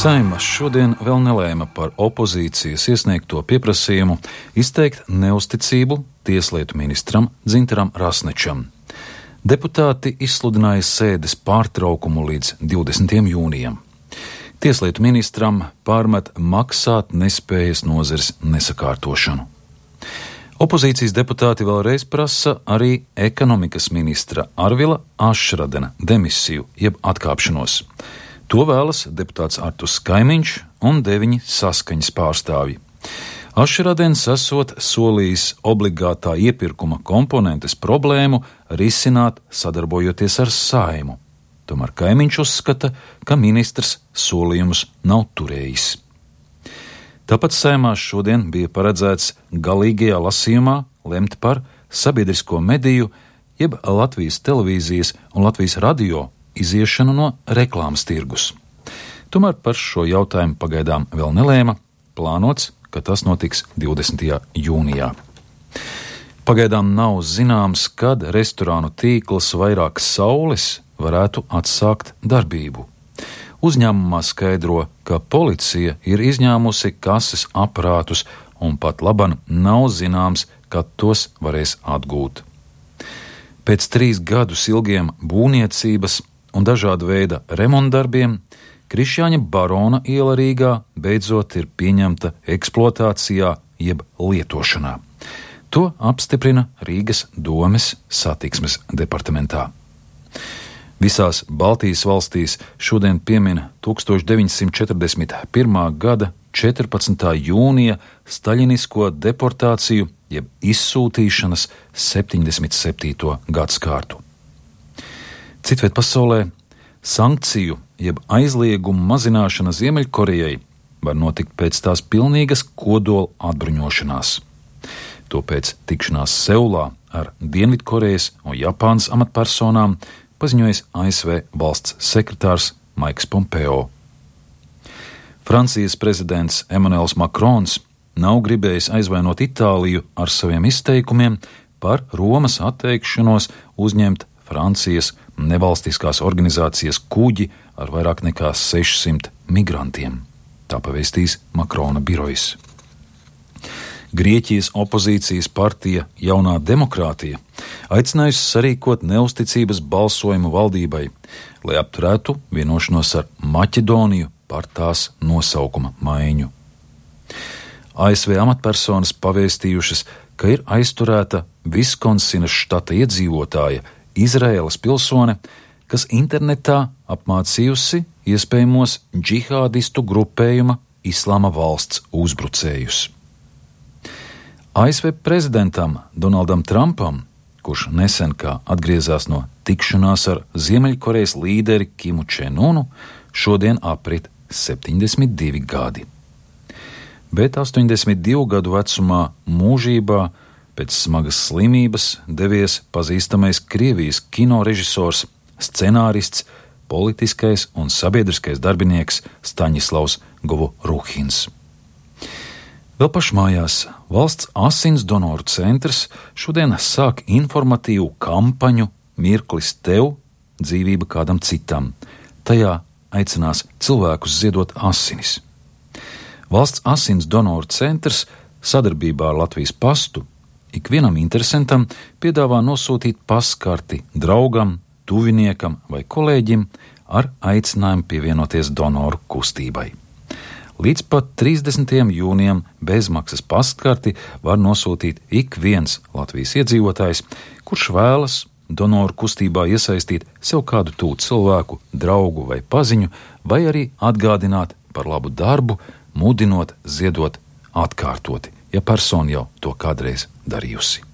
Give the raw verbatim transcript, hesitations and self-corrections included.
Saeima šodien vēl nelēma par opozīcijas iesniegto pieprasījumu izteikt neusticību tieslietu ministram Dzintaram Rasnečam. Deputāti izsludināja sēdes pārtraukumu līdz divdesmitajam jūnijam. Tieslietu ministram pārmet maksāt nespējas nozares nesakārtošanu. Opozīcijas deputāti vēlreiz prasa arī ekonomikas ministra Arvila Ašradena demisiju jeb atkāpšanos. To vēlas deputāts Arturs Kaimiņš un deviņi Saskaņas pārstāvji. Ašradens esot solījis obligātā iepirkuma komponentes problēmu risināt sadarbojoties ar Saeimu. Tomēr Kaimiņš uzskata, ka ministrs solījumus nav turējis. Tāpat Saeimā šodien bija paredzēts galīgajā lasījumā lemt par sabiedrisko mediju, jeb Latvijas televīzijas un Latvijas radio iziešanu no reklāmas tirgus. Tomēr par šo jautājumu pagaidām vēl nelēma, plānots, ka tas notiks divdesmitajā jūnijā. Pagaidām nav zināms, kad restorānu tīkls Vairākas saules varētu atsākt darbību. Uzņēmumā skaidro, ka policija ir izņēmusi kases aparātus un pat laban nav zināms, kad tos varēs atgūt. Pēc trīs gadus ilgiem būvniecības un dažāda veida remontdarbiem Krišjāņa Barona iela Rīgā beidzot ir pieņemta eksploatācijā jeb lietošanā. To apstiprina Rīgas domes satiksmes departamentā. Visās Baltijas valstīs šodien piemin tūkstoš deviņsimt četrdesmit pirmā gada četrpadsmitā jūnija staļinisko deportāciju jeb izsūtīšanas septiņdesmit septīto gadskārtu. Citviet pasaulē sankciju jeb aizliegumu mazināšana Ziemeļkorejai var notikt pēc tās pilnīgas kodola atbruņošanās. To pēc tikšanās Seulā ar Dienvidkorejas un Japānas amatpersonām paziņojis A S V valsts sekretārs Maiks Pompeo. Francijas prezidents Emmanuels Makrons nav gribējis aizvainot Itāliju ar saviem izteikumiem par Romas atteikšanos uzņemt Francijas nevalstiskās organizācijas kuģi ar vairāk nekā sešsimt migrantiem. Tā pavēstīs Makrona birojs. Grieķijas opozīcijas partija Jaunā demokrātija aicinājusi sarīkot neusticības balsojumu valdībai, lai apturētu vienošanos ar Maķedoniju par tās nosaukuma maiņu. A S V amatpersonas pavēstījušas, ka ir aizturēta Viskonsinas štata iedzīvotāja Izraēlas pilsone, kas internetā apmācījusi iespējamos džihādistu grupējuma Islāma valsts uzbrucējus. A S V prezidentam Donaldam Trumpam, kurš nesen kā atgriezās no tikšanās ar Ziemeļkorejas līderi Kimu Čen-unu, šodien aprit septiņdesmit divi gadi. Bet astoņdesmit divu gadu vecumā mūžībā pēc smagas slimības devies pazīstamais Krievijas kinorežisors, scenārists, politiskais un sabiedriskais darbinieks Staņislavs Govoruhins. Vēl pašmājās valsts asins donoru centrs šodien sāk informatīvu kampaņu Mirklis tev, dzīvība kādam citam. Tajā aicinās cilvēkus ziedot asinis. Valsts asins donoru centrs sadarbībā ar Latvijas pastu ikvienam interesantam piedāvā nosūtīt paskarti draugam, tuviniekam vai kolēģim ar aicinājumu pievienoties donoru kustībai. Līdz pat trīsdesmitajam jūnijam bezmaksas paskarti var nosūtīt ik viens Latvijas iedzīvotājs, kurš vēlas donoru kustībā iesaistīt sev kādu tūtu cilvēku, draugu vai paziņu, vai arī atgādināt par labu darbu, mudinot ziedot atkārtoti, ja persona jau to kādreiz darījusi.